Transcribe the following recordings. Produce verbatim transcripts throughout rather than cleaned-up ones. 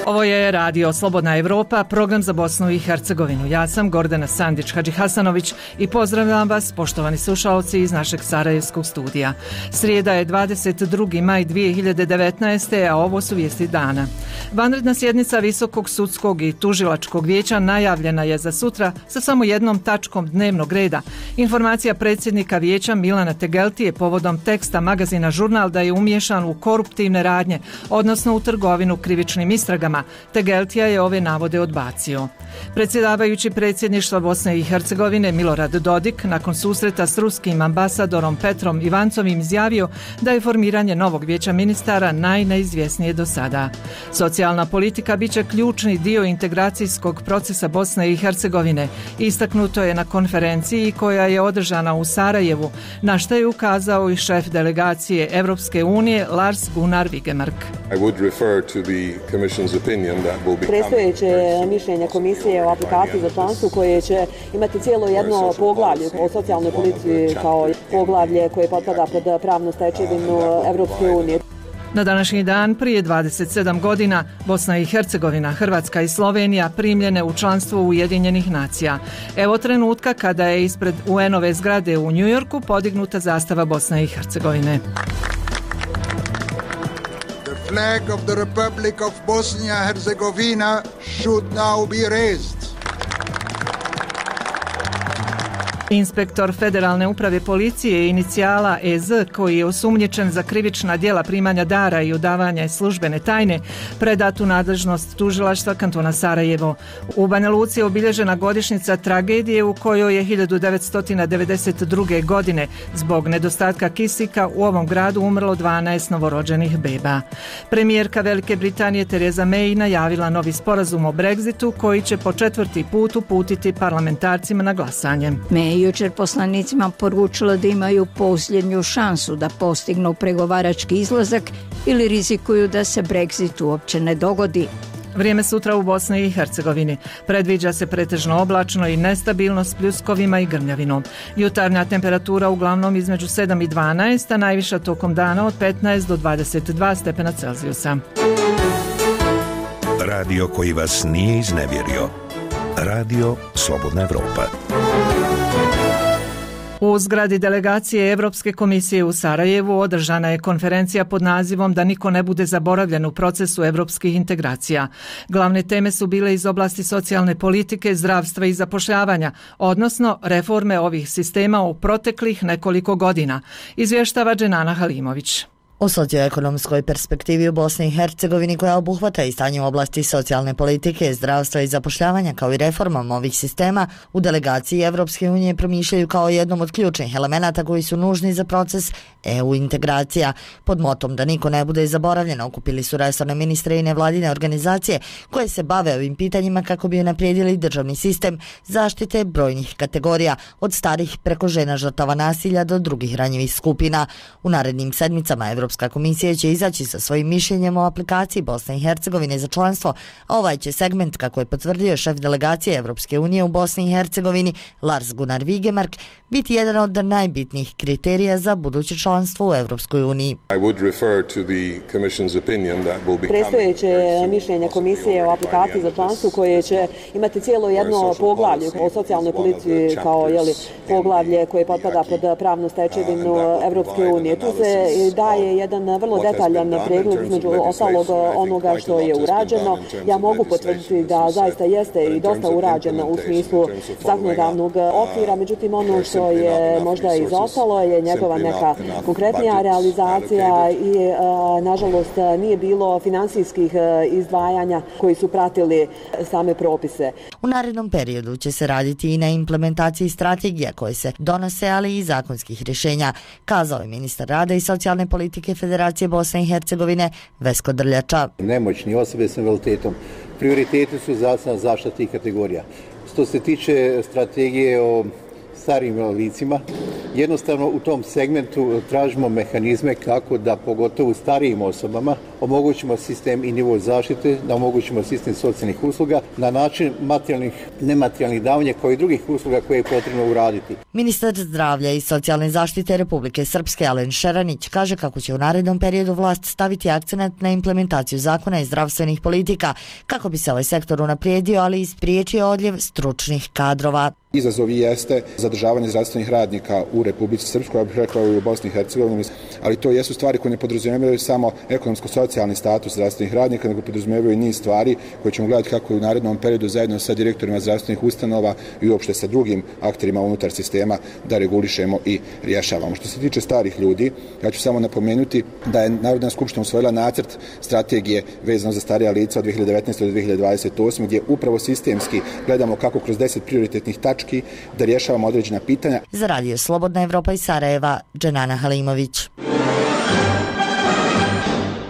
Ovo je Radio Slobodna Evropa, program za Bosnu i Hercegovinu. Ja sam Gordana Sandić-Hadžihasanović i pozdravljam vas, poštovani slušalci iz našeg sarajevskog studija. Srijeda je dvadeset drugi maj dvije hiljade devetnaeste. a ovo su vijesti dana. Vanredna sjednica Visokog sudskog i tužilačkog vijeća najavljena je za sutra sa samo jednom tačkom dnevnog reda. Informacija predsjednika vijeća Milana Tegeltije povodom teksta magazina Žurnal da je umiješan u koruptivne radnje, odnosno u trgovinu krivičnim istragama. Tegeltija je ove navode odbacio. Predsjedavajući predsjedništva Bosne i Hercegovine Milorad Dodik nakon susreta s ruskim ambasadorom Petrom Ivancovim izjavio da je formiranje novog vijeća ministara najneizvjesnije do sada. Socijalna politika bit će ključni dio integracijskog procesa Bosne i Hercegovine. Istaknuto je na konferenciji koja je održana u Sarajevu, na što je ukazao i šef delegacije Evropske unije Lars Gunnar Vigemark. Predstojeće mišljenje komisije o aplikaciji za članstvo koje će imati cijelo jedno poglavlje o socijalnoj politici kao poglavlje koje potpada pod pravnu stečevinu Evropske unije. Na današnji dan prije dvadeset sedam godina Bosna i Hercegovina, Hrvatska i Slovenija primljene u članstvo Ujedinjenih nacija. Evo trenutka kada je ispred U N-ove zgrade u Njujorku podignuta zastava Bosne i Hercegovine. The flag of the Republic of Bosnia and Herzegovina should now be raised. Inspektor Federalne uprave policije inicijala E Z, koji je osumnjičen za krivična djela primanja dara i odavanja službene tajne, predat u nadležnost tužilaštva kantona Sarajevo. U Banja Luci je obilježena godišnjica tragedije u kojoj je hiljadu devetsto devedeset druge. godine zbog nedostatka kisika u ovom gradu umrlo dvanaest novorođenih beba. Premijerka Velike Britanije Theresa May najavila novi sporazum o Brexitu koji će po četvrti put uputiti parlamentarcima na glasanje. May jučer poslanicima poručila da imaju posljednju šansu da postignu pregovarački izlazak ili rizikuju da se Brexit uopće ne dogodi. Vrijeme sutra u Bosni i Hercegovini. Predviđa se pretežno oblačno i nestabilno s pljuskovima i grmljavinom. Jutarnja temperatura uglavnom između sedam i dvanaest, a najviša tokom dana od petnaest do dvadeset dva stepena Celzijusa. Radio koji vas nije iznevjerio. Radio Slobodna Evropa. U zgradi delegacije Evropske komisije u Sarajevu održana je konferencija pod nazivom Da niko ne bude zaboravljen u procesu evropskih integracija. Glavne teme su bile iz oblasti socijalne politike, zdravstva i zapošljavanja, odnosno reforme ovih sistema u proteklih nekoliko godina, izvještava Dženana Halimović. O socioekonomskoj perspektivi u Bosni i Hercegovini koja obuhvata i stanje u oblasti socijalne politike, zdravstva i zapošljavanja kao i reformom ovih sistema u delegaciji Evropske unije promišljaju kao jednom od ključnih elemenata koji su nužni za proces E U integracija. Pod motom Da niko ne bude zaboravljen okupili su resorne ministre i nevladine organizacije koje se bave ovim pitanjima kako bi unaprijedili državni sistem zaštite brojnih kategorija od starih preko žena žrtava nasilja do drugih ranjivih skupina. U narednim sedmicama Evropska komisija će izaći sa svojim mišljenjem o aplikaciji Bosne i Hercegovine za članstvo, a ovaj će segment, kako je potvrdio šef delegacije Evropske unije u Bosni i Hercegovini Lars Gunnar Vigemark, biti jedan od najbitnijih kriterija za buduće članstvo u Evropskoj uniji. Predstojeće mišljenje komisije o aplikaciji za članstvo koje će imati cijelo jedno poglavlje o socijalnoj politici kao jeli, poglavlje koje potpada pod pravnu stečevinu Evropske unije. Tu se daje jedan vrlo detaljan pregled između ostalog onoga što je urađeno. Ja mogu potvrditi da zaista jeste i dosta urađeno u smislu zakonodavnog okvira, međutim ono što je možda izostalo je njegova neka konkretnija realizacija i a, nažalost nije bilo finansijskih izdvajanja koji su pratili same propise. U narednom periodu će se raditi i na implementaciji strategija koje se donose, ali i zakonskih rješenja, kazao je ministar rada i socijalne politike Federacije Bosne i Hercegovine Vesko Drljača. Nemoćni osobe s invaliditetom prioriteti su zdravstvena zaštita tih kategorija. Što se tiče strategije o starim licima, Jednostavno u tom segmentu tražimo mehanizme kako da pogotovo starijim osobama omogućimo sistem i nivo zaštite, da omogućimo sistem socijalnih usluga na način materijalnih, nematerijalnih davanja kao i drugih usluga koje je potrebno uraditi. Ministar zdravlja i socijalne zaštite Republike Srpske Alen Šeranić kaže kako će u narednom periodu vlast staviti akcenat na implementaciju zakona i zdravstvenih politika kako bi se ovaj sektor unaprijedio, ali i spriječio odljev stručnih kadrova. Izazov jeste zadržavanje zdravstvenih radnika u Republici Srpskoj, ja bih rekao i u Bosni i Hercegovini, ali to jesu stvari koje ne podrazumijevaju samo ekonomsko-socijalni status zdravstvenih radnika, nego podrazumijevaju i niz stvari koje ćemo gledati kako u narednom periodu zajedno sa direktorima zdravstvenih ustanova i uopšte sa drugim akterima unutar sistema da regulišemo i rješavamo. Što se tiče starih ljudi, ja ću samo napomenuti da je Narodna skupština usvojila nacrt strategije vezano za starija lica od dvije hiljade devetnaeste do dvije hiljade dvadeset osme gdje upravo sistemski gledamo kako kroz deset prioritetnih tački da rješavamo određena pitanja. Za radio Slobodna Evropa iz Sarajeva, Dženana Halimović.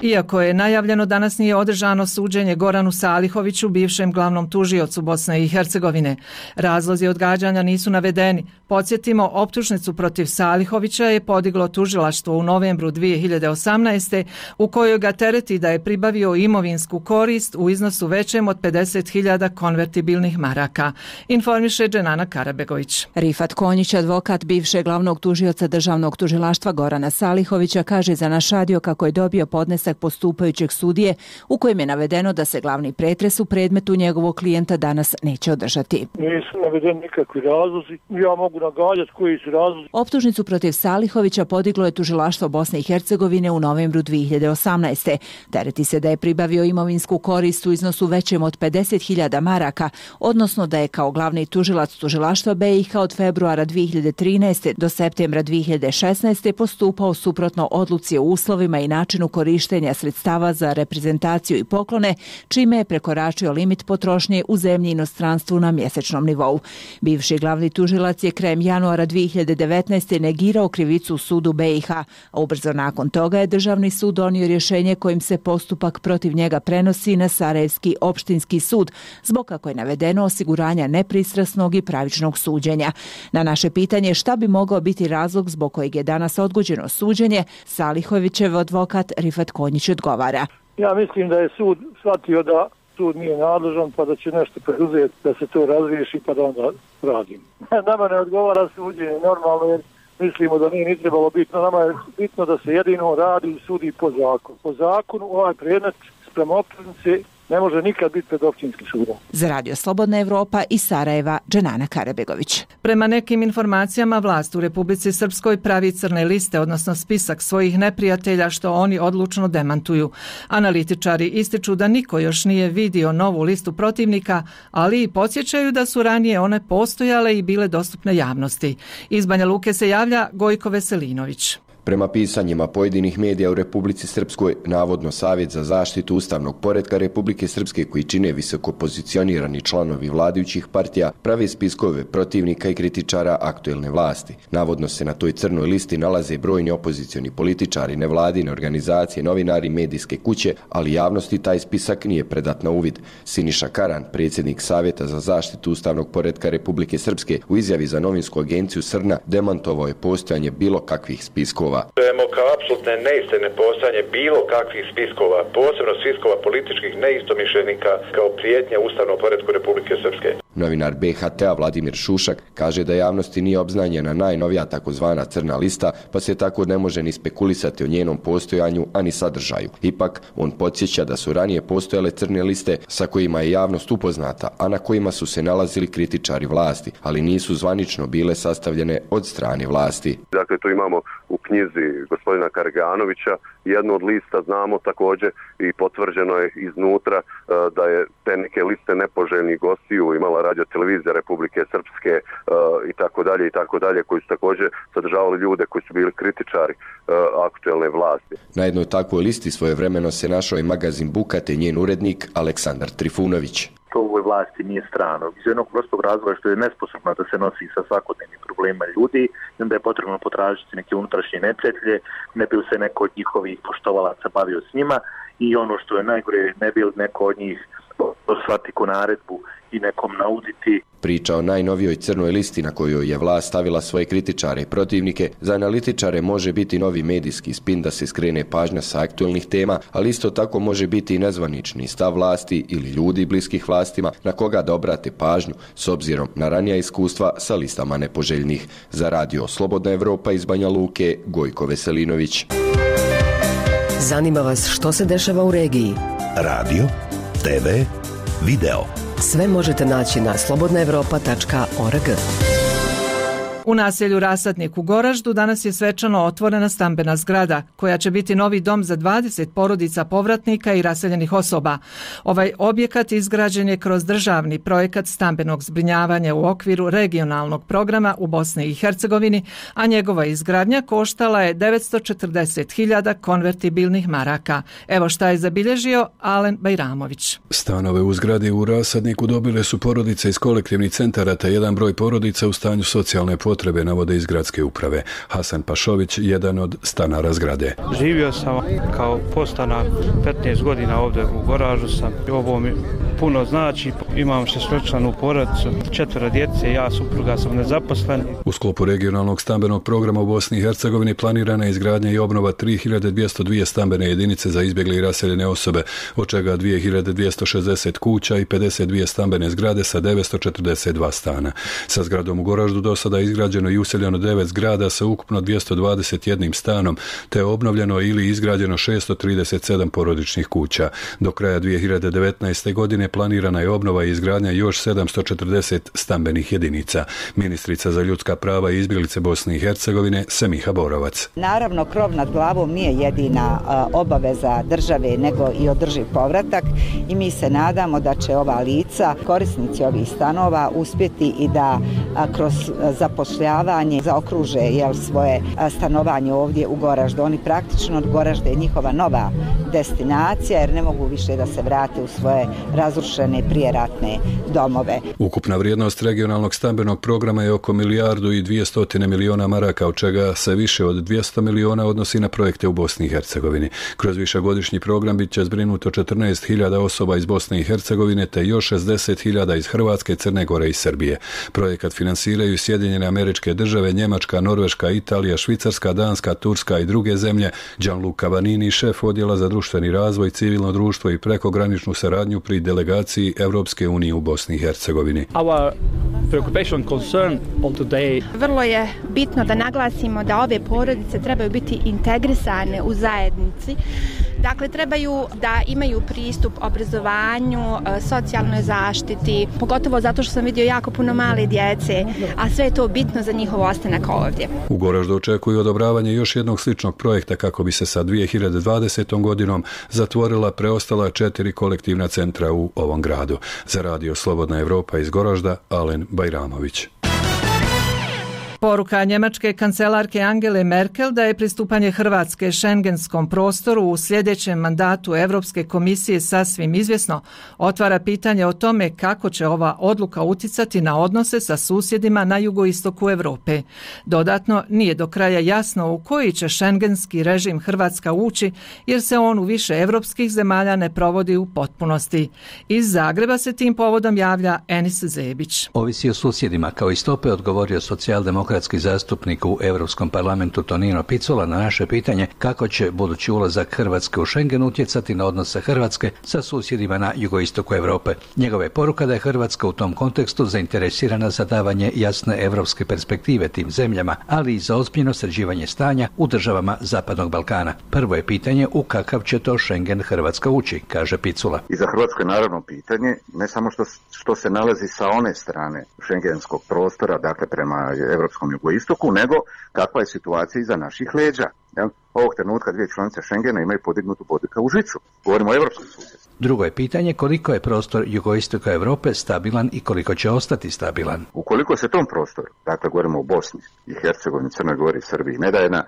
Iako je najavljeno, danas nije održano suđenje Goranu Salihoviću, bivšem glavnom tužiocu Bosne i Hercegovine. Razlozi odgađanja nisu navedeni. Podsjetimo, optužnicu protiv Salihovića je podiglo tužilaštvo u novembru dvije hiljade osamnaeste. u kojoj ga tereti da je pribavio imovinsku korist u iznosu većem od pedeset hiljada konvertibilnih maraka. Informiše Dženana Karabegović. Rifat Konjić, advokat bivšeg glavnog tužioca državnog tužilaštva Gorana Salihovića, kaže za naš radio kako je dobio podnesak postupajućeg sudije u kojem je navedeno da se glavni pretres u predmetu njegovog klijenta danas neće održati. Nisu navedeni nikakvi razlozi, ja mogu nagađati koji su razlozi. Optužnicu protiv Salihovića podiglo je tužilaštvo Bosne i Hercegovine u novembru dvije hiljade osamnaeste. Tereti se da je pribavio imovinsku korist u iznosu većem od pedeset hiljada maraka, odnosno da je kao glavni tužilac tužilaštva B i H od februara dvije hiljade trinaeste do septembra dvije hiljade šesnaeste. postupao suprotno odluci o uslovima i načinu korištenja sredstava za reprezentaciju i poklone, čime je prekoračio limit potrošnje u zemlji i inostranstvu na mjesečnom nivou. Bivši glavni tužilac je krajem januara dvije hiljade devetnaeste. negirao krivicu u sudu B i H, a ubrzo nakon toga je Državni sud donio rješenje kojim se postupak protiv njega prenosi na Sarajevski opštinski sud, zbog, kako je navedeno, osiguranja nepristrasnog i pravičnog suđenja. Na naše pitanje šta bi mogao biti razlog zbog kojeg je danas odgođeno suđenje, Salihovićev advokat Rifat Konjić odgovara. Ja mislim da je sud shvatio da sud nije nadležan pa da će nešto preduzeti da se to razriješi pa da onda radim. Nama ne odgovara suđenje normalno jer mislimo da nije ni trebalo bitno. Nama je bitno da se jedino radi i sudi po zakonu. Po zakonu ovaj predmet sprema optužnice ne može nikad biti pred općinskim sudom. Za radio Slobodna Evropa iz Sarajeva, Dženana Karabegović. Prema nekim informacijama, vlast u Republici Srpskoj pravi crne liste, odnosno spisak svojih neprijatelja, što oni odlučno demantuju. Analitičari ističu da niko još nije vidio novu listu protivnika, ali i podsjećaju da su ranije one postojale i bile dostupne javnosti. Iz Banja Luke se javlja Gojko Veselinović. Prema pisanjima pojedinih medija u Republici Srpskoj, navodno Savjet za zaštitu ustavnog poretka Republike Srpske, koji čine visoko pozicionirani članovi vladajućih partija, prave spiskove protivnika i kritičara aktuelne vlasti. Navodno se na toj crnoj listi nalaze brojni opozicioni političari, nevladine organizacije, novinari, medijske kuće, ali javnosti taj spisak nije predat na uvid. Siniša Karan, predsjednik Savjeta za zaštitu ustavnog poretka Republike Srpske, u izjavi za novinsku agenciju Srna demantovao je postojanje bilo kakvih spiskova. Čujemo kao apsolutne neistine postojanje bilo kakvih spiskova, posebno spiskova političkih neistomišljenika kao prijetnja ustavnom poretku Republike Srpske. Novinar B H T-a Vladimir Šušak kaže da javnosti nije obznanjena najnovija takozvana crna lista, pa se tako ne može ni spekulisati o njenom postojanju, ani sadržaju. Ipak, on podsjeća da su ranije postojale crne liste sa kojima je javnost upoznata, a na kojima su se nalazili kritičari vlasti, ali nisu zvanično bile sastavljene od strane vlasti. Dakle, tu imamo u knjizi gospodina Karganovića jednu od lista, znamo također i potvrđeno je iznutra da je te neke liste nepoželjnih gostiju imala radio televizija Republike Srpske i tako dalje i tako dalje, koji su također sadržavali ljude koji su bili kritičari aktuelne vlasti. Na jednoj takvoj listi svojevremeno se našao i magazin Buka te njen urednik Aleksandar Trifunović. To ovoj vlasti nije strano. Iz jednog prostog razloga što je nesposobna da se nosi sa svakodnevnim problemima ljudi i onda je potrebno potražiti neke unutrašnje neprijatelje, ne bi se neko od njihovih poštovalaca bavio s njima i ono što je najgore, ne bi neko od njih shvati ko naredbu i nekom nauditi. Priča o najnovijoj crnoj listi na kojoj je vlast stavila svoje kritičare i protivnike, za analitičare može biti novi medijski spin da se skrene pažnja sa aktualnih tema, ali isto tako može biti i nezvanični stav vlasti ili ljudi bliskih vlastima na koga da obrate pažnju s obzirom na ranija iskustva sa listama nepoželjnih. Za radio Slobodna Evropa iz Banja Luke, Gojko Veselinović. Zanima vas što se dešava u regiji? Radio, te ve, video. Sve možete naći na slobodna evropa tačka org. U naselju Rasadnik u Goraždu danas je svečano otvorena stambena zgrada, koja će biti novi dom za dvadeset porodica povratnika i raseljenih osoba. Ovaj objekat izgrađen je kroz državni projekat stambenog zbrinjavanja u okviru regionalnog programa u Bosni i Hercegovini, a njegova izgradnja koštala je devetsto četrdeset hiljada konvertibilnih maraka. Evo šta je zabilježio Alen Bajramović. Stanove u zgradi u Rasadniku dobile su porodice iz kolektivnih centara te jedan broj porodica u stanju socijalne potrebe. Potrebe navode iz gradske uprave. Hasan Pašović, jedan od stanara zgrade. Živio sam kao podstanar petnaest godina ovdje u Goraždu sam. Ovo mi puno znači. Imam šestčlanu porodicu, četvero djece, ja supruga sam nezaposlen. U sklopu regionalnog stambenog programa u Bosni i Hercegovini planirana je izgradnja i obnova tri hiljade dvjesto dvije stambene jedinice za izbjegle i raseljene osobe, od čega dvije hiljade dvjesto šezdeset kuća i pedeset dvije stambene zgrade sa devetsto četrdeset dva stana. Sa zgradom u Goraždu do sada izgrađeno i useljeno devet zgrada sa ukupno dvjesto dvadeset jedan stanom, te obnovljeno ili izgrađeno šesto trideset sedam porodičnih kuća. Do kraja dvije hiljade devetnaeste. godine planirana je obnova i izgradnja još sedamsto četrdeset stambenih jedinica. Ministrica za ljudska prava i izbjeglice Bosne i Hercegovine Semiha Borovac. Naravno, krov nad glavom nije jedina obaveza države, nego i održiv povratak i mi se nadamo da će ova lica, korisnici ovih stanova, uspjeti i da kroz zapošljavanje zaokruže jel, svoje stanovanje ovdje u Goraždu. Oni praktično od Goražde je njihova nova destinacija jer ne mogu više da se vrate u svoje razrušene prijeratne domove. Ukupna vrijednost regionalnog stambenog programa je oko milijardu i dvjesto miliona maraka, od čega se više od dvjesto miliona odnosi na projekte u Bosni i Hercegovini. Kroz višegodišnji program bit će zbrinuto četrnaest hiljada osoba iz Bosne i Hercegovine te još šezdeset hiljada iz Hrvatske, Crne Gore i Srbije. Projekat finansiraju Sjedinjene Američke Države, Njemačka, Norveška, Italija, Švicarska, Danska, Turska i druge zemlje. Gianluca Vanini, šef odjela za društveni razvoj, civilno društvo i prekograničnu saradnju pri delegaciji Evropske unije u Bosni i Hercegovini. Vrlo je bitno da naglasimo da ove porodice trebaju biti integrisane u zajednici. Dakle, trebaju da imaju pristup obrazovanju, socijalnoj zaštiti, pogotovo zato što sam vidio jako puno male djece, a sve je to bitno za njihov ostanak ovdje. U Goraždu očekuju odobravanje još jednog sličnog projekta kako bi se sa dvije hiljade dvadesetom. godinom zatvorila preostala četiri kolektivna centra u ovom gradu. Za radio Slobodna Evropa iz Goražda, Alen Bajramović. Poruka njemačke kancelarke Angele Merkel da je pristupanje Hrvatske šengenskom prostoru u sljedećem mandatu Europske komisije sasvim izvjesno otvara pitanje o tome kako će ova odluka uticati na odnose sa susjedima na jugoistoku Europe. Dodatno, nije do kraja jasno u koji će šengenski režim Hrvatska ući jer se on u više europskih zemalja ne provodi u potpunosti. Iz Zagreba se tim povodom javlja Enis Zebić. Ovisi o susjedima, kao i stope odgovorio socijaldemokratski zastupnik u Europskom parlamentu Tonino Picula na naše pitanje kako će budući ulazak Hrvatske u Schengen utjecati na odnose Hrvatske sa susjedima na jugoistoku Europe. Njegova je poruka da je Hrvatska u tom kontekstu zainteresirana za davanje jasne europske perspektive tim zemljama, ali i za ozbiljno sređivanje stanja u državama Zapadnog Balkana. Prvo je pitanje u kakav će to Schengen Hrvatska ući, kaže Picula. I za Hrvatsku je naravno pitanje ne samo što, što se nalazi sa one strane šengenskog prostora, dakle prema Europskom jugoistoku, nego kakva je situacija iza naših leđa. Jel? Ovog trenutka dvije članice Schengena imaju podignutu bodika u žicu. Govorimo o europskom susjedstvu. Drugo je pitanje koliko je prostor jugoistoka Europe stabilan i koliko će ostati stabilan. Ukoliko se tom prostoru, dakle govorimo o Bosni i Hercegovini, Crnoj Gori i Srbiji, ne da jedna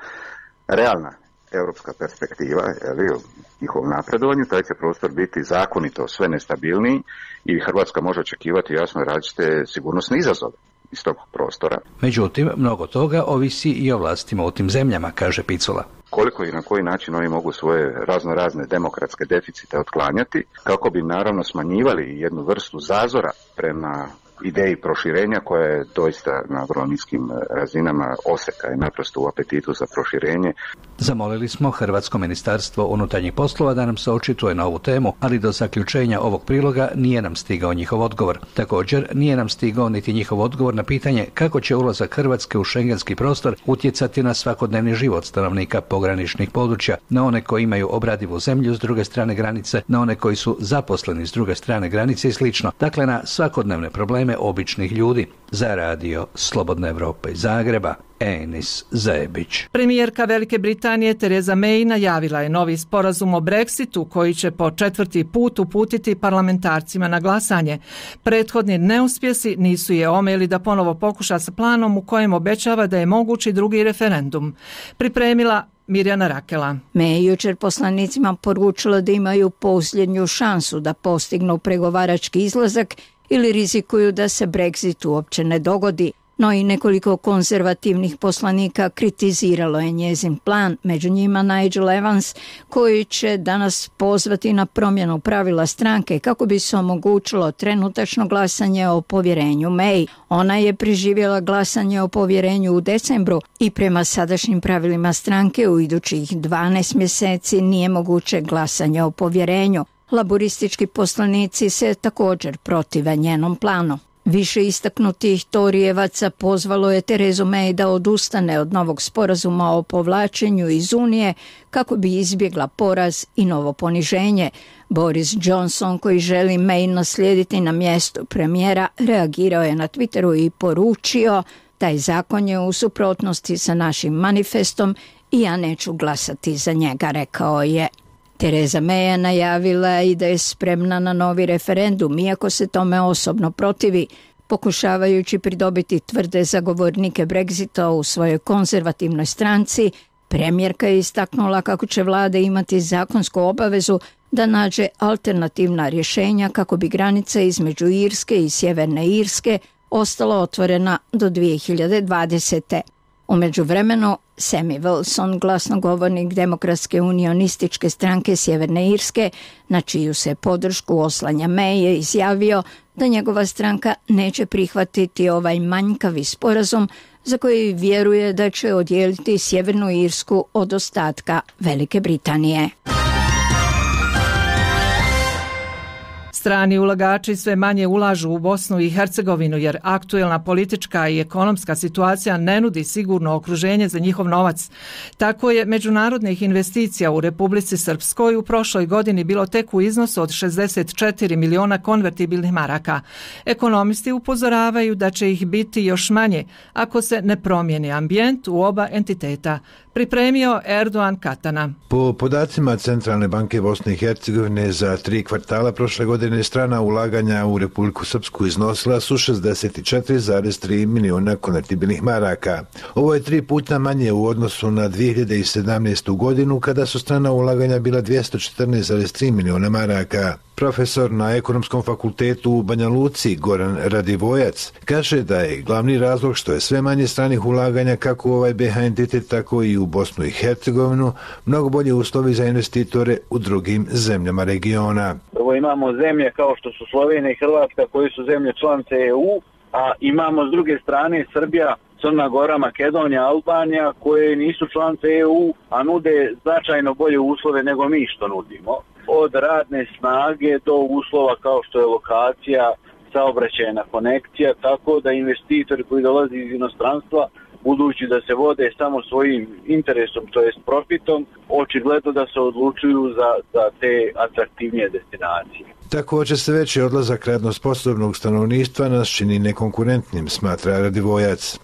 realna europska perspektiva, jel, o njihovom napredovanju, taj će prostor biti zakonito sve nestabilniji i Hrvatska može očekivati jasno različite sigurnosne izazove iz tog prostora. Međutim, mnogo toga ovisi i o vlastima u tim zemljama, kaže Picula. koliko i na koji način oni mogu svoje razno razne demokratske deficite otklanjati, kako bi naravno smanjivali jednu vrstu zazora prema ideji proširenja koja je doista na vrlo niskim razinama, oseka je naprosto u apetitu za proširenje. Zamolili smo Hrvatsko ministarstvo unutarnjih poslova da nam se očituje na ovu temu, ali do zaključenja ovog priloga nije nam stigao njihov odgovor. Također nije nam stigao niti njihov odgovor na pitanje kako će ulazak Hrvatske u šengenski prostor utjecati na svakodnevni život stanovnika pograničnih područja, na one koji imaju obradivu zemlju s druge strane granice, na one koji su zaposleni s druge strane granice i slično. Dakle, na svakodnevne probleme običnih ljudi. Za radio Slobodna Evropa iz Zagreba, Enis Zebić. Premijerka Velike Britanije Tereza May najavila je novi sporazum o Brexitu koji će po četvrti put uputiti parlamentarcima na glasanje. Prethodni neuspjesi nisu je omeli da ponovo pokuša sa planom u kojem obećava da je mogući drugi referendum. Pripremila Mirjana Rakela. May jučer poslanicima poručila da imaju posljednju šansu da postignu pregovarački izlazak ili rizikuju da se Brexit uopće ne dogodi. No i nekoliko konzervativnih poslanika kritiziralo je njezin plan, među njima Nigel Evans, koji će danas pozvati na promjenu pravila stranke kako bi se omogućilo trenutačno glasanje o povjerenju May. Ona je preživjela glasanje o povjerenju u decembru i prema sadašnjim pravilima stranke u idućih dvanaest mjeseci nije moguće glasanje o povjerenju. Laboristički poslanici se također protive njenom planu. Više istaknutih Torijevaca pozvalo je Terezu May da odustane od novog sporazuma o povlačenju iz Unije kako bi izbjegla poraz i novo poniženje. Boris Johnson, koji želi May naslijediti na mjestu premijera, reagirao je na Twitteru i poručio: taj zakon je u suprotnosti sa našim manifestom i ja neću glasati za njega, rekao je. Tereza May je najavila i da je spremna na novi referendum, iako se tome osobno protivi, pokušavajući pridobiti tvrde zagovornike Brexita u svojoj konzervativnoj stranci. Premijerka je istaknula kako će vlada imati zakonsku obavezu da nađe alternativna rješenja kako bi granica između Irske i Sjeverne Irske ostala otvorena do dvije hiljade dvadesete. U međuvremenu, Sammy Wilson, glasnogovornik Demokratske unionističke stranke Sjeverne Irske, na čiju se podršku oslanja May, je izjavio da njegova stranka neće prihvatiti ovaj manjkavi sporazum za koji vjeruje da će odijeliti Sjevernu Irsku od ostatka Velike Britanije. Strani ulagači sve manje ulažu u Bosnu i Hercegovinu jer aktuelna politička i ekonomska situacija ne nudi sigurno okruženje za njihov novac. Tako je međunarodnih investicija u Republici Srpskoj u prošloj godini bilo tek u iznosu od šezdeset četiri miliona konvertibilnih maraka. Ekonomisti upozoravaju da će ih biti još manje ako se ne promijeni ambijent u oba entiteta. Pripremio Erdogan Katana. Po podacima Centralne banke Bosne i Hercegovine za tri kvartala prošle godine strana ulaganja u Republiku Srpsku iznosila su šezdeset četiri zarez tri miliona konvertibilnih maraka. Ovo je tri puta manje u odnosu na dvije hiljade sedamnaestu godinu kada su strana ulaganja bila dvjesto četrnaest zarez tri miliona maraka. Profesor na Ekonomskom fakultetu u Banja Luci Goran Radivojac kaže da je glavni razlog što je sve manje stranih ulaganja kako u ovaj B H entitet tako i u Bosnu i Hercegovinu mnogo bolje uslovi za investitore u drugim zemljama regiona. Prvo imamo zemlje kao što su Slovenija i Hrvatska koji su zemlje članice E U, a imamo s druge strane Srbija, Crna Gora, Makedonija, Albanija koje nisu članice E U, a nude značajno bolje uslove nego mi što nudimo. Od radne snage do uslova kao što je lokacija, saobraćajna konekcija, tako da investitori koji dolaze iz inostranstva, budući da se vode samo svojim interesom, to jest profitom, očigledno da se odlučuju za, za te atraktivnije destinacije. Također se veći odlazak radno sposobnog stanovništva nas čini nekonkurentnim, smatra Radivojac.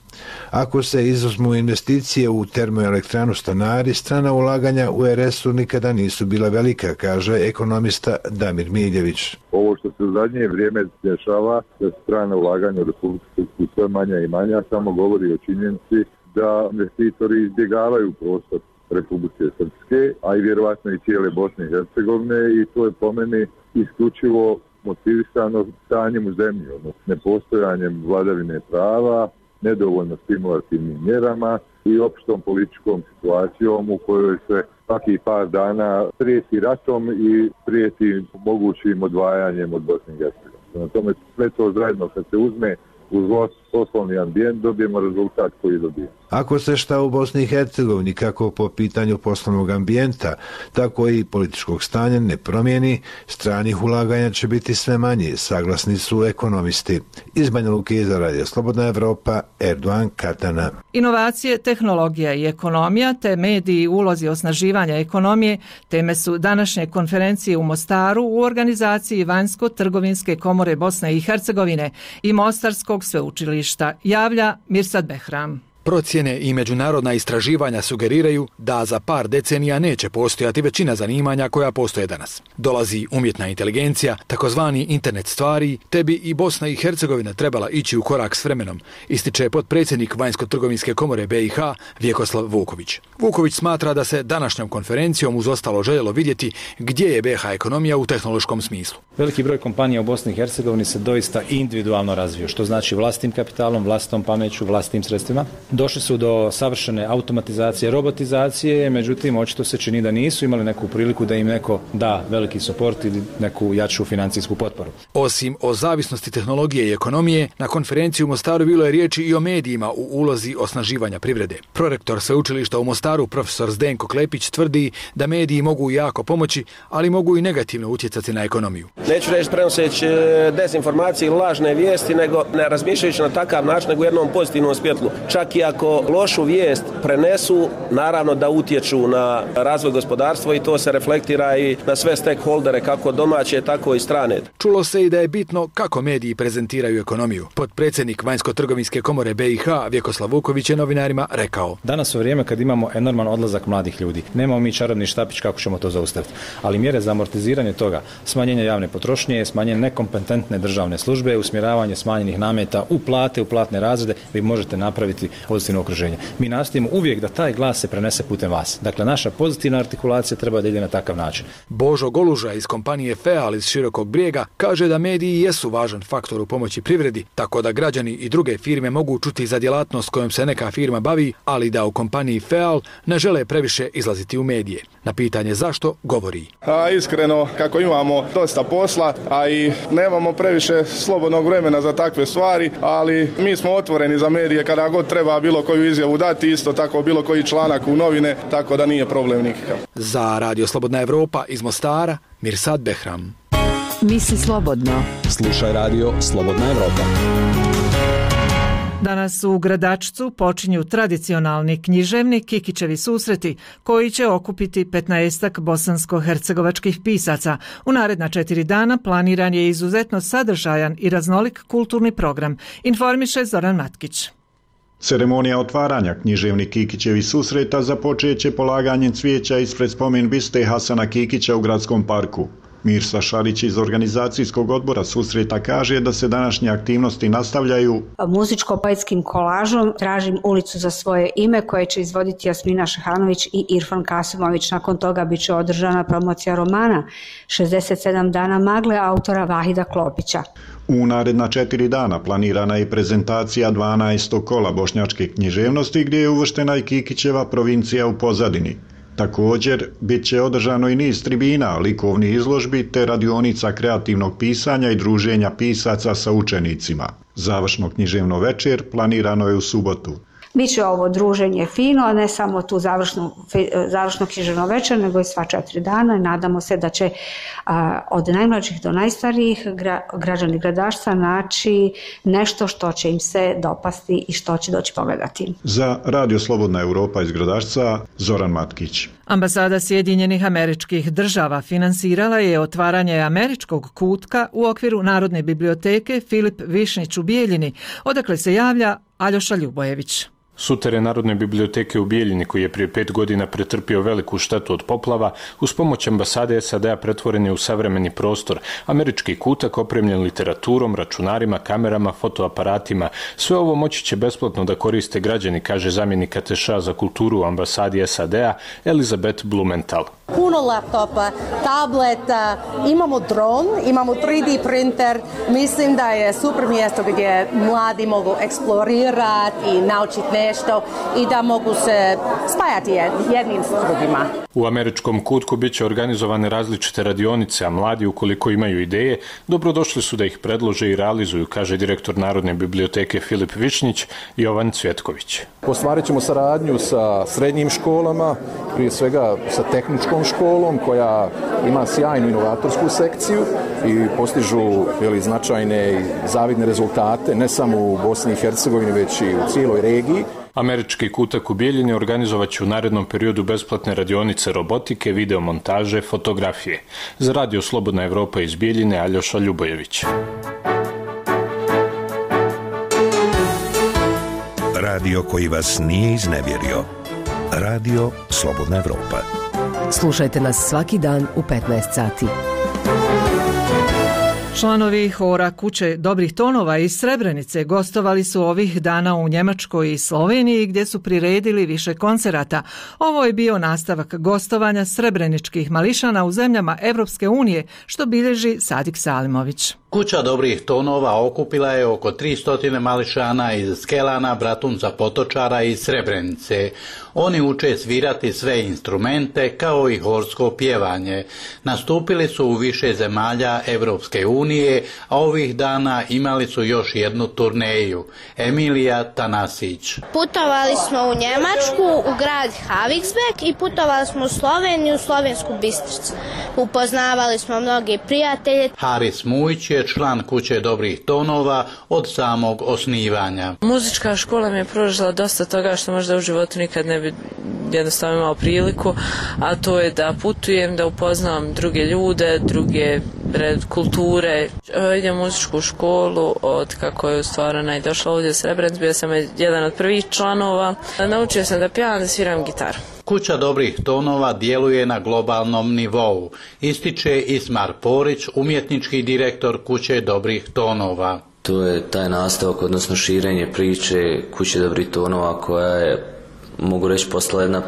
Ako se izuzmu investicije u termoelektranu Stanari, strana ulaganja u R S-u nikada nisu bila velika, kaže ekonomista Damir Miljević. Ovo što se u zadnje vrijeme dešava, da strana ulaganja u Republiku Srpsku sve manja i manja, samo govori o činjenici da investitori izbjegavaju prostor Republike Srpske, a i vjerovatno i cijele Bosne i Hercegovine, i to je po meni isključivo motivisano stanjem u zemlji, odnosno nepostojanjem vladavine prava, nedovoljno stimulativnim mjerama i opštom političkom situacijom u kojoj se svaki par dana prijeti ratom i prijeti mogućim odvajanjem od Bosne i Hercegovine. Na tome sve to zajedno kad se uzme uz poslovni ambijent dobijemo rezultat koji dobijemo. Ako se šta u Bosni i Hercegovini kako po pitanju poslovnog ambijenta, tako i političkog stanja ne promijeni, stranih ulaganja će biti sve manje, saglasni su ekonomisti. Iz Banja Luke za Radio Slobodna Evropa, Erdogan Katana. Inovacije, tehnologija i ekonomija te mediji i ulozi osnaživanja ekonomije teme su današnje konferencije u Mostaru u organizaciji Vanjsko-trgovinske komore Bosne i Hercegovine i Mostarskog sveučilišta, javlja Mirsad Behram. Procjene i međunarodna istraživanja sugeriraju da za par decenija neće postojati većina zanimanja koja postoje danas. Dolazi umjetna inteligencija, takozvani internet stvari, te bi i Bosna i Hercegovina trebala ići u korak s vremenom, ističe potpredsjednik Vanjsko-trgovinske komore B i H Vjekoslav Vuković. Vuković smatra da se današnjom konferencijom uz ostalo željelo vidjeti gdje je B i H ekonomija u tehnološkom smislu. Veliki broj kompanija u Bosni i Hercegovini se doista individualno razvio, što znači vlastitim kapitalom, vlastitom pameću, vlastitim sredstvima. Došli su do savršene automatizacije, robotizacije, međutim, očito se čini da nisu imali neku priliku da im neko da veliki suport ili neku jaču financijsku potporu. Osim o zavisnosti tehnologije i ekonomije, na konferenciji u Mostaru bilo je riječi i o medijima u ulozi osnaživanja privrede. Prorektor sveučilišta u Mostaru, profesor Zdenko Klepić, tvrdi da mediji mogu jako pomoći, ali mogu i negativno utjecati na ekonomiju. Neću reći prenoseći dezinformacije ili lažne vijesti, nego ne razmišljajući na takav način, nego u jednom pozitivnom svjetlu. Čak i ako lošu vijest prenesu, naravno da utječu na razvoj gospodarstva i to se reflektira i na sve stakeholdere, kako domaće, tako i strane. Čulo se i da je bitno kako mediji prezentiraju ekonomiju. Potpredsjednik Vanjsko-trgovinske komore B i H Vjekoslav Vuković je novinarima rekao: Danas u vrijeme kad imamo enorman odlazak mladih ljudi, nemamo mi čarobni štapić kako ćemo to zaustaviti, ali mjere za amortiziranje toga, smanjenje javne potrošnje, smanjenje nekompetentne državne službe, usmjeravanje smanjenih nameta u plate, u platne razrede, vi možete napraviti pozitivno okruženje. Mi nastojimo uvijek da taj glas se prenese putem vas. Dakle, naša pozitivna artikulacija treba da ide na takav način. Božo Goluža iz kompanije Feal iz Širokog Brijega kaže da mediji jesu važan faktor u pomoći privredi, tako da građani i druge firme mogu čuti za djelatnost kojom se neka firma bavi, ali da u kompaniji Feal ne žele previše izlaziti u medije. Na pitanje zašto govori: A, iskreno, kako imamo dosta posla, a i nemamo previše slobodnog vremena za takve stvari, ali mi smo otvoreni za medije kada god treba bilo koju izjavu dati, isto tako bilo koji članak u novine, tako da nije problem nikakav. Za Radio Slobodna Evropa iz Mostara, Mirsad Behram. Misli slobodno. Slušaj Radio Slobodna Evropa. Danas u Gradačcu počinju tradicionalni književni Kikićevi susreti koji će okupiti petnaestak bosansko-hercegovačkih pisaca. U naredna četiri dana planiran je izuzetno sadržajan i raznolik kulturni program, informiše Zoran Matkić. Ceremonija otvaranja književnih Kikićevi susreta započeće polaganjem cvijeća ispred spomen biste Hasana Kikića u Gradskom parku. Mirsa Šarić iz organizacijskog odbora susreta kaže da se današnje aktivnosti nastavljaju muzičko-poetskim kolažom. Tražim ulicu za svoje ime koje će izvoditi Jasmina Šehanović i Irfan Kasimović. Nakon toga bit će održana promocija romana šezdeset sedam dana magle autora Vahida Klopića. U naredna četiri dana planirana je prezentacija dvanaestog kola bošnjačke književnosti gdje je uvrštena i Kikićeva provincija u pozadini. Također, bit će održano i niz tribina, likovnih izložbi te radionica kreativnog pisanja i druženja pisaca sa učenicima. Završno književno večer planirano je u subotu. Biće ovo druženje fino, a ne samo tu završnu, završno književno večer, nego i sva četiri dana. Nadamo se da će a, od najmlađih do najstarijih gra, građani Gradašca naći nešto što će im se dopasti i što će doći pogledati. Za Radio Slobodna Evropa iz Gradašca, Zoran Matkić. Ambasada Sjedinjenih Američkih Država finansirala je otvaranje američkog kutka u okviru Narodne biblioteke Filip Višnjić u Bijeljini, odakle se javlja Aljoša Ljubojević. Suterén Narodne biblioteke u Bijeljini, koji je prije pet godina pretrpio veliku štetu od poplava, uz pomoć ambasade S A D-a pretvoren je u savremeni prostor. Američki kutak opremljen literaturom, računarima, kamerama, fotoaparatima. Sve ovo moći će besplatno da koriste građani, kaže zamjenik Ateša za kulturu u ambasadi S A D-a Elizabeth Blumenthal. Puno laptopa, tableta, imamo dron, imamo tri D printer. Mislim da je super mjesto gdje mladi mogu eksplorirati i naučiti nešto i da mogu se spajati jednim s drugima. U američkom kutku bit će organizovane različite radionice, a mladi, ukoliko imaju ideje, dobrodošli su da ih predlože i realizuju, kaže direktor Narodne biblioteke Filip Višnjić i Jovan Cvjetković. Ostvarit ćemo saradnju sa srednjim školama, prije svega sa tehničkom školom koja ima sjajnu inovatorsku sekciju i postižu jeli, značajne i zavidne rezultate, ne samo u Bosni i Hercegovini, već i u cijeloj regiji. Američki kutak u Bijeljini organizovat će u narednom periodu besplatne radionice robotike, videomontaže, fotografije. Za Radio Slobodna Evropa iz Bijeljine, Aljoša Ljubojević. Radio koji vas nije iznevjerio. Radio Slobodna Evropa. Slušajte nas svaki dan u petnaest sati. Članovi hora Kuće dobrih tonova iz Srebrenice gostovali su ovih dana u Njemačkoj i Sloveniji gdje su priredili više koncerata. Ovo je bio nastavak gostovanja srebreničkih mališana u zemljama Evropske unije, što bilježi Sadik Salimović. Kuća dobrih tonova okupila je oko tristo mališana iz Skelana, Bratunca, Potočara i Srebrenice. Oni uče svirati sve instrumente kao i horsko pjevanje. Nastupili su u više zemalja Evropske unije, a ovih dana imali su još jednu turneju. Emilija Tanasić. Putovali smo u Njemačku, u grad Haviksbeck i putovali smo u Sloveniju, u Slovensku Bistricu. Upoznavali smo mnogi prijatelje. Haris Mujić je član Kuće dobrih tonova od samog osnivanja. Muzička škola mi je pružila dosta toga što možda u životu nikad ne bi jednostavno imao priliku, a to je da putujem, da upoznam druge ljude, druge kulture. Idem u muzičku školu od kako je stvarana i došla ovdje u Srebrenicu, bio sam jedan od prvih članova. Naučio sam da pjevam, da sviram gitaru. Kuća dobrih tonova djeluje na globalnom nivou, ističe Ismar Porić, umjetnički direktor Kuće dobrih tonova. To je taj nastavak, odnosno širenje priče Kuće dobrih tonova koja je, mogu reći, postala jedna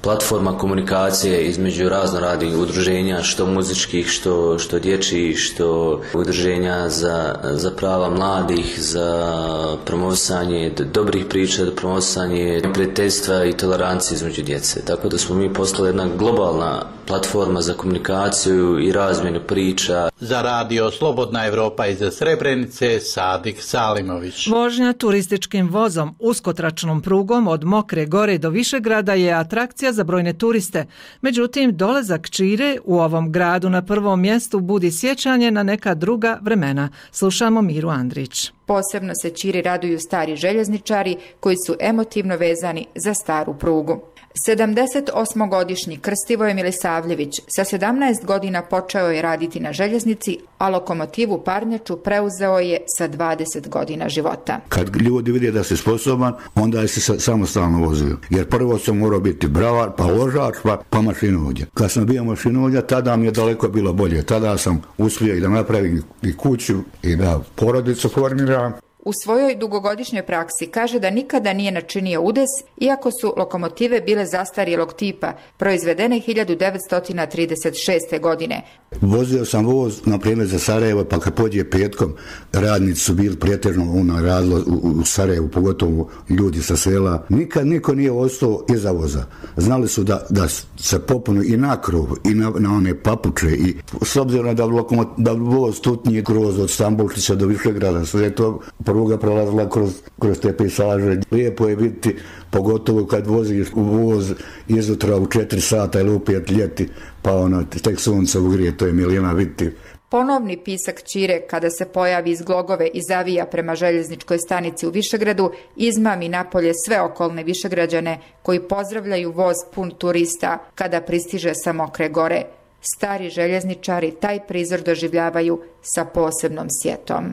platforma komunikacije između raznoraznih udruženja, što muzičkih, što, što dječjih, što udruženja za, za prava mladih, za promovisanje dobrih priča, promovisanje prijateljstva i tolerancije između djece. Tako da smo mi postali jedna globalna platforma za komunikaciju i razmjenu priča. Za Radio Slobodna Evropa iz Srebrenice, Sadik Salimović. Vožnja turističkim vozom uskotračnom prugom od Mokre Gore do Višegrada je atrakcija za brojne turiste. Međutim, dolazak Čire u ovom gradu na prvom mjestu budi sjećanje na neka druga vremena. Slušamo Miru Andrić. Posebno se Čiri raduju stari željezničari koji su emotivno vezani za staru prugu. sedamdeset osmogodišnji Krstivoje Milisavljević sa sedamnaest godina počeo je raditi na željeznici, a lokomotivu parnjaču preuzeo je sa dvadeset godina života. Kad ljudi vide da si sposoban, onda je se samostalno vozio. Jer prvo sam morao biti bravar, pa vožač, pa, pa mašinovođa. Kad sam bio mašinovođa, tada mi je daleko bilo bolje. Tada sam uspio i da napravim i kuću i da porodicu formiram. U svojoj dugogodišnjoj praksi kaže da nikada nije načinio udes, iako su lokomotive bile zastarjelog tipa, proizvedene hiljadu devetsto trideset šeste. godine. Vozio sam voz, na primjer, za Sarajevo, pa kad pođe petkom, radnici su bili pretežno ono, radilo u, u Sarajevu, pogotovo ljudi sa sela. Nikad niko nije ostao iza voza. Znali su da, da se popunu i na krov, i na, na one papuče. I s obzirom da, lokomot, da voz tutnije kroz od Stambulčića do Višegrada, sve je to pruga prolazila kroz, kroz te pejsaže. Lijepo je biti, pogotovo kad voziš u voz izutra u četiri sata ili u pet ljeti, pa ono, tek sunce ugrije, to je milina vidjeti. Ponovni pisak Čire, kada se pojavi iz Glogove i zavija prema željezničkoj stanici u Višegradu, izmami napolje sve okolne Višegrađane koji pozdravljaju voz pun turista kada pristiže sa Mokre Gore. Stari željezničari taj prizor doživljavaju sa posebnom sjetom.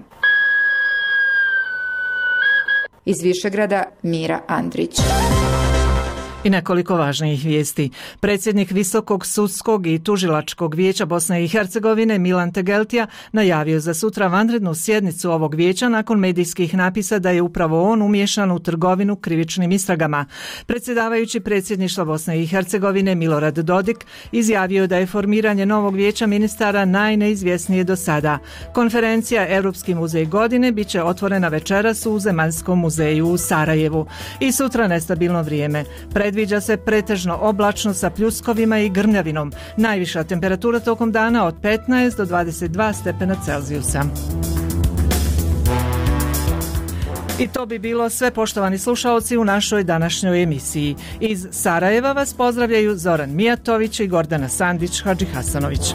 Iz Višegrada, Mira Andrić. I nekoliko važnijih vijesti. Predsjednik Visokog sudskog i tužilačkog vijeća Bosne i Hercegovine Milan Tegeltija najavio za sutra vanrednu sjednicu ovog vijeća nakon medijskih napisa da je upravo on umiješan u trgovinu krivičnim istragama. Predsjedavajući predsjedništva Bosne i Hercegovine Milorad Dodik izjavio da je formiranje novog vijeća ministara najneizvjesnije do sada. Konferencija Europski muzej godine bit će otvorena večeras u Zemaljskom muzeju u Sarajevu. I sutra nestabilno vrijeme. Predviđa se pretežno oblačno sa pljuskovima i grmljavinom. Najviša temperatura tokom dana od petnaest do dvadeset dva stepena Celzijusa. I to bi bilo sve, poštovani slušaoci, u našoj današnjoj emisiji. Iz Sarajeva vas pozdravljaju Zoran Mijatović i Gordana Sandić Hadžihasanović.